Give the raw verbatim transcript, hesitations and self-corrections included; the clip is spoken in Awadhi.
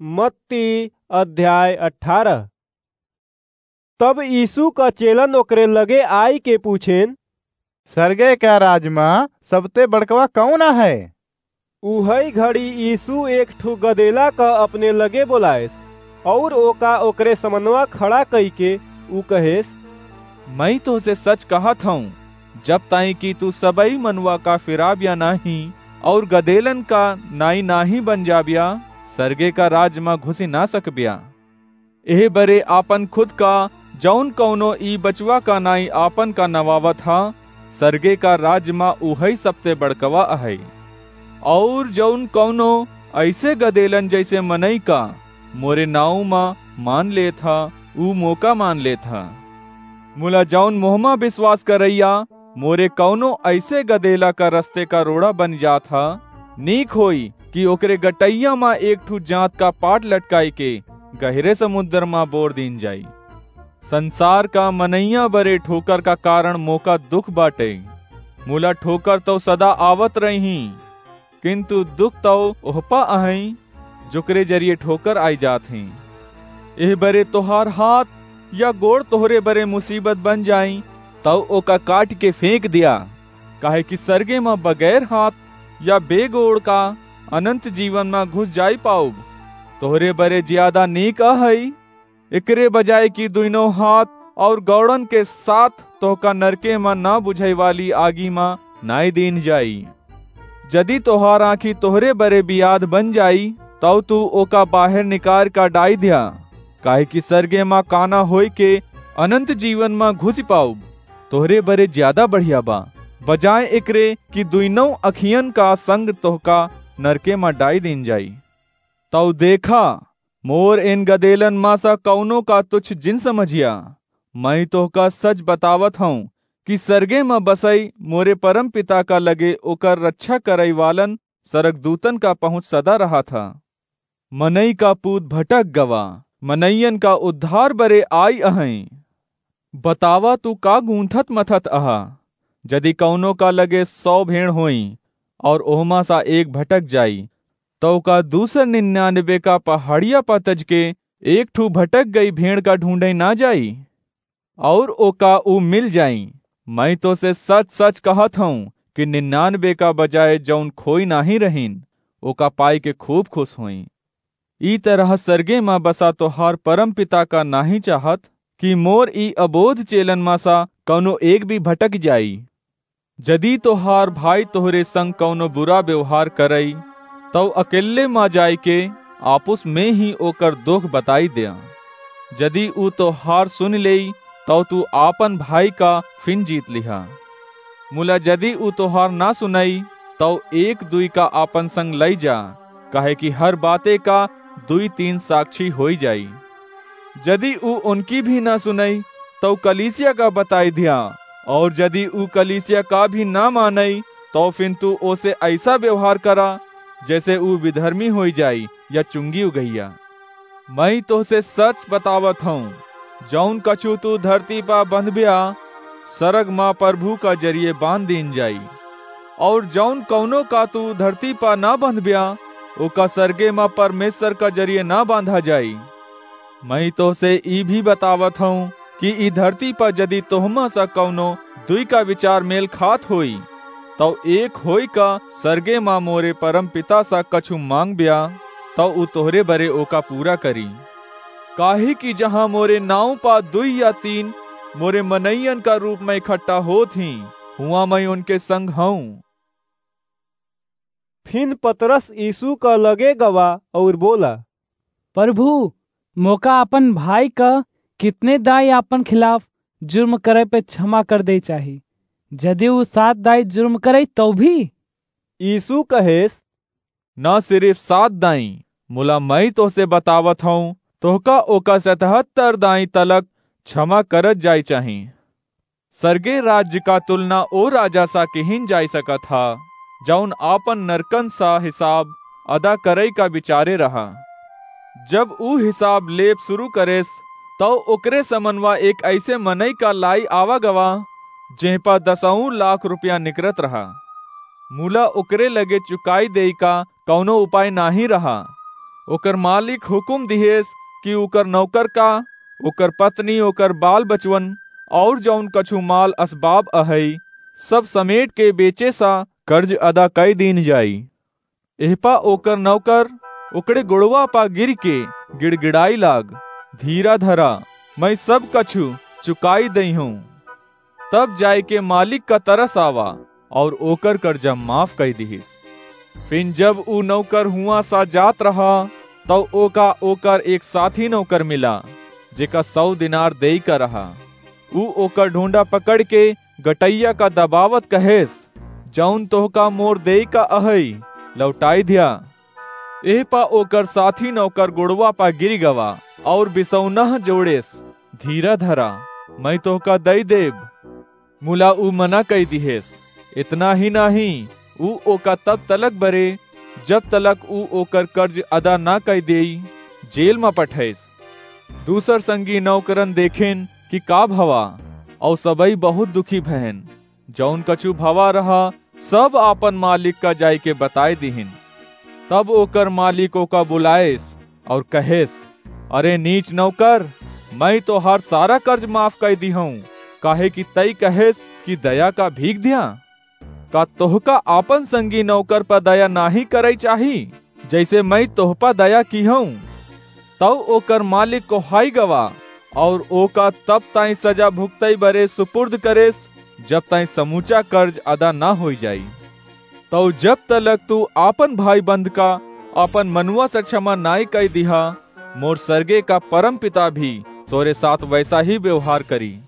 मत्ती अध्याय अठारह। तब यीशु का चेलन ओकरे लगे आइके पूछेन, "सरगे का राज मा सबते बड़कवा कौन है?" उहई घड़ी यीशु एक ठु गदेला का अपने लगे बोलाएस, और ओका ओकरे समनवा खड़ा कइके ऊ कहेस, "मई तोहसे सच कहत हऊँ, जब ताई कि तू सबई मनुआ का फिराब्या नाहीं और गदेलन का नाई नाहीं बन जाब्या, सरगे का राज मा घुसि ना सकब्या। एह बरे आपन खुद का जौन कौनो ई बचवा का नाई आपन का नवावत हा, सरगे का राज मा उहई सबते बड़कवा अहई। और जौन कौनो ऐसे गदेलन जैसे मनई का मोरे नाऊ मा मान लेत हा, ऊ मोका मान लेत हा। मुला जौन मोहमा विश्वास करैया मोरे कौनो ऐसे गदेला का रस्ते का रोड़ा बन जात हा, नीक होई कि ओकरे गटैया मा एक ठु जांत का पाट लटकाई के गहरे समुद्र मा बोर दीन जाई। संसार का मनैया बरे ठोकर का कारण मोका दुख बाटे। मुला ठोकर तो सदा आवत रही, किंतु दुख तो ओहपा अहई, जोकरे जरिए ठोकर आई जात ही। एह बरे तोहार हाथ या गोड़ तोहरे बरे मुसीबत बन जाई, तौ ओका काट के फेंक दिया, काहे कि सरगे मा बगैर हाथ या बेगोड़ का अनंत जीवन मा घुस जाई पाउब। तोहरे बरे ज्यादा नीक अहई, एकरे बजाय कि दुइनो हाथ और गौड़न के साथ तोहका नरके मा ना बुझाई वाली आगी मा नाई दीन जाई। जदि तोहार आँखी तोहरे बरे बियाद बन जाई, तौ तू ओका बाहर निकार का डाई द्या, काहे कि सरगे मा काना होई के अनंत जीवन मा घुसि पाउब। तोहरे बरे ज्यादा बढ़िया बा, बजाय एकरे कि दुइनौ अखियन का संग तोहका नरके मा डाई दीन जाई। तौ देखा, मोर इन गदेलन मा सा कौनो का तुच्छ जिन समझिया। मई तोहका सच बतावत हऊँ कि सरगे मा बसई मोरे परम पिता का लगे ओकर रक्षा करई वालन सरगदूतन का पहुँच सदा रहा था। मनई का पूत भटक गवा, मनइयन का उद्धार बरे आई अहई। बतावा, तू का गूंथत मथत अहा? जदि कौनो का लगे सौ भेड़ होई और ओहमा सा एक भटक जाई, तौ का दूसर निन्यानबे का पहाड़िया पा तज के एक ठू भटक गई भेड़ का ढूंढे ना जाई? और ओका ऊ मिल जाई। मई तोसे सच सच कहत हऊँ कि निन्यानबे का बजाय जौन खोई नाहीं रहीन, ओका पाई के खूब खुश होई। ई तरह सरगे मा बसा तोहार परम पिता का नाहीं चाहत कि मोर ई अबोध चेलन मा सा कौनो एक भी भटक जाई? जदि तोहार भाई तोहरे संग कौनो बुरा व्यवहार करई, तौ अकेले मा जाइके आपुस में ही ओकर दोख बताई द्या। जदि ऊ तोहार सुन लेई, तौ तू आपन भाई का फिन जीत लिहा। मुला जदि ऊ तोहार ना सुनई, तौ एक दुई का आपन संग लई जा, काहे कि हर बाते का दुई तीन साक्षी होई जाई। जदि ऊ उनकी भी ना सुनई, तौ कलीसिया का बताई द्या, और जदि ऊ कलीसिया का भी ना मानई, तौ फिन तू ओसे ऐसा व्यवहार करा, जैसे ऊ विधर्मी होई जाई या चुंगी उगैया। मई तोहसे सच बतावत हऊँ, जौन कछु तू धरती पा बंधब्या, सरग मा प्रभु का जरिए बांध दीन जाई, और जौन कौनो का तू धरती पा ना बंधब्या, ओका सरगे मा परमेश्वर का जरिए ना बांधा जाई। मई तोहसे ई भी बतावत हऊँ कि ई धरती पा जदि तोहमा सा कौनो दुई का विचार मेल खात होई, तौ एक होई का सरगे मा मोरे परम पिता सा कछु मांगब्या, तौ ऊ तोहरे बरे ओका पूरा करी। काहे कि जहाँ मोरे नाव पा दुई या तीन मोरे मनइयन का रूप मा इकट्ठा होत ही, हुआँ मई उनके संग हऊँ। फिन पतरस यीशु का लगे गवा और बोला, "प्रभु, मोका अपन भाई का कितने दाई आपन खिलाफ जुर्म करे पे क्षमा कर दे चाही? जदि ऊ सात दाई जुर्म करे, तौ भी?" यीशु कहेस, "ना सिर्फ सात दाई, मुला मई तोहसे बतावत हऊँ, तोहका ओका सतहत्तर दाई तलक क्षमा करत जाई चाही।" सरगे राज्य का तुलना ओ राजा सा किहिन जाई सकत हा, जौन आपन नरकन सा हिसाब अदा करई का विचारे रहा। जब ऊ हिसाब लेब शुरू करेस, तौ ओकरे समनवा एक ऐसे मनई का लाई आवा गवा, जेह पा दसऊ लाख रुपया निकरत रहा। मुला ओकरे लगे चुकाई देई का कौनो उपाय नाहीं रहा। ओकर मालिक हुकुम दिहेस कि ओकर नौकर का, ओकर पत्नी, ओकर बाल बचवन और जौन कछु माल असबाब अहई, सब समेट के बेचे सा कर्ज अदा कई दीन जाई। एहपा ओकर नौकर ओकरे गोड़वा पा गिर के गिड़गिड़ाई लाग, "धीरा धरा, मैं सब कछु चुकाई दई हूँ।" तब जाए के मालिक का तरस आवा और ओकर कर्जा माफ कई दिहिस। फिन जब ऊ नौकर हुआ सा जात रहा, तब ओका ओकर एक साथी नौकर मिला, जेका सौ दिनार देई का रहा। ऊ ओकर ढोंढा पकड़ के गटैया का दबावत कहेस, "जौन तोहका मोर देई का अहई, लौटाई द्या।" एह पा ओकर साथी नौकर गोड़वा पा गिर गवा और बिसौनह जोड़ेस, "धीरा धरा, मैं तोहका दई देब।" मुला ऊ मना कई दिहेस। इतना ही नाही, ऊ ओका तब तलक बरे, जब तलक ऊ ओकर कर्ज अदा ना कई देई, जेल मा पठेस। दूसर संगी नौकरन देखेन कि का भवा, और सबई बहुत दुखी भयन। जौन कछु भवा रहा, सब आपन मालिक का जाइके बताए दिहिन। तब ओकर मालिक ओका बुलाएस और कहेस, "अरे नीच नौकर, मैं तोहार सारा कर्ज माफ कई दिहूँ, काहे कि तई कहेस कि दया का भीख द्या। का तोहका आपन संगी नौकर पर दया नाही करई चाही, जैसे मैं तोह पर दया किहूँ?" तब ओकर मालिक कोहाई गवा और ओका तब ताई सजा भुगतई बरे सुपुर्द करेस, जब ताई समूचा कर्ज अदा ना होई जाई। तब जब तलक तू आपन भाई बंद का आपन मनुआ से क्षमा नाई कई दिहा, मोर सरगे का परम पिता भी तोरे साथ वैसा ही व्यवहार करी।